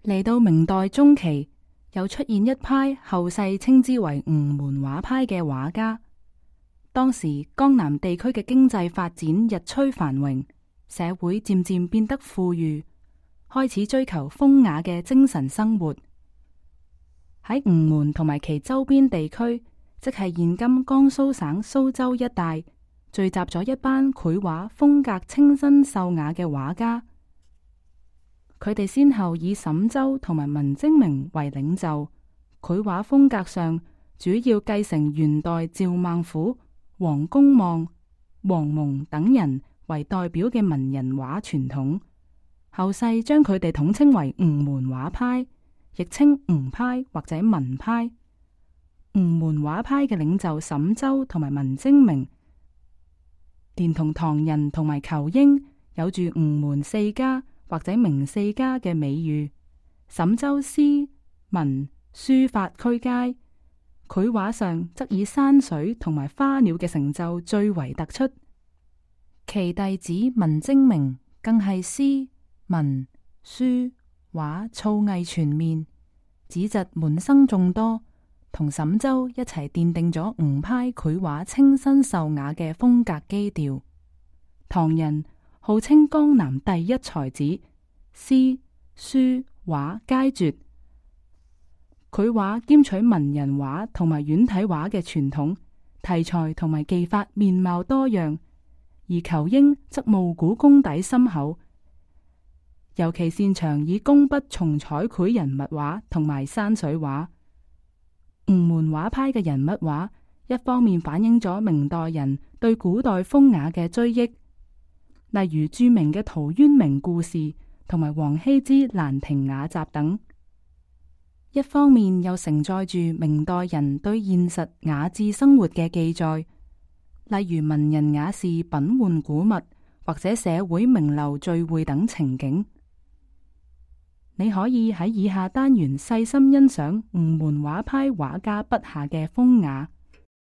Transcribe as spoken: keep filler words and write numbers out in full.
嚟到明代中期，又出現一派後世稱之為吳門畫派嘅畫家。當時江南地區嘅經濟發展日趨繁榮，社會漸漸變得富裕，開始追求風雅嘅精神生活。喺吳門同埋其周邊地區，即係現今江蘇省蘇州一帶，聚集咗一班繪畫風格清新秀雅嘅畫家。佢哋先後以沈周同埋文徵明為領袖，繪畫風格上主要繼承元代趙孟頫、黃公望、王蒙等人為代表嘅文人畫傳統。後世將佢哋統稱為吳門畫派，亦稱吳派或者文派。吳門畫派嘅領袖沈周同埋文徵明，連同唐人同埋仇英，有住吳門四家或者明四家嘅美譽。沈周詩文書法俱佳，繪畫上則以山水同埋花鳥嘅成就最為突出。其弟子文徵明更係詩文書畫造詣全面，子侄門生眾多，同沈周一齊奠定咗吳派繪畫清新秀雅嘅風格基調。唐人號稱江南第一才子，詩書畫皆絕。繪畫兼取文人畫同埋軟體畫嘅傳統，題材同埋技法面貌多樣。而仇英則慕古功底深厚，尤其擅長以工筆重彩繪人物畫同埋山水畫。吳門畫派嘅人物畫，一方面反映咗明代人對古代風雅嘅追憶，例如著名嘅陶淵明故事同埋王羲之蘭亭雅集等；一方面又承載住明代人對現實雅致生活嘅記載，例如文人雅士品玩古物或者社會名流聚會等情景。你可以喺以下單元細心欣賞吳門畫派畫家筆下嘅風雅。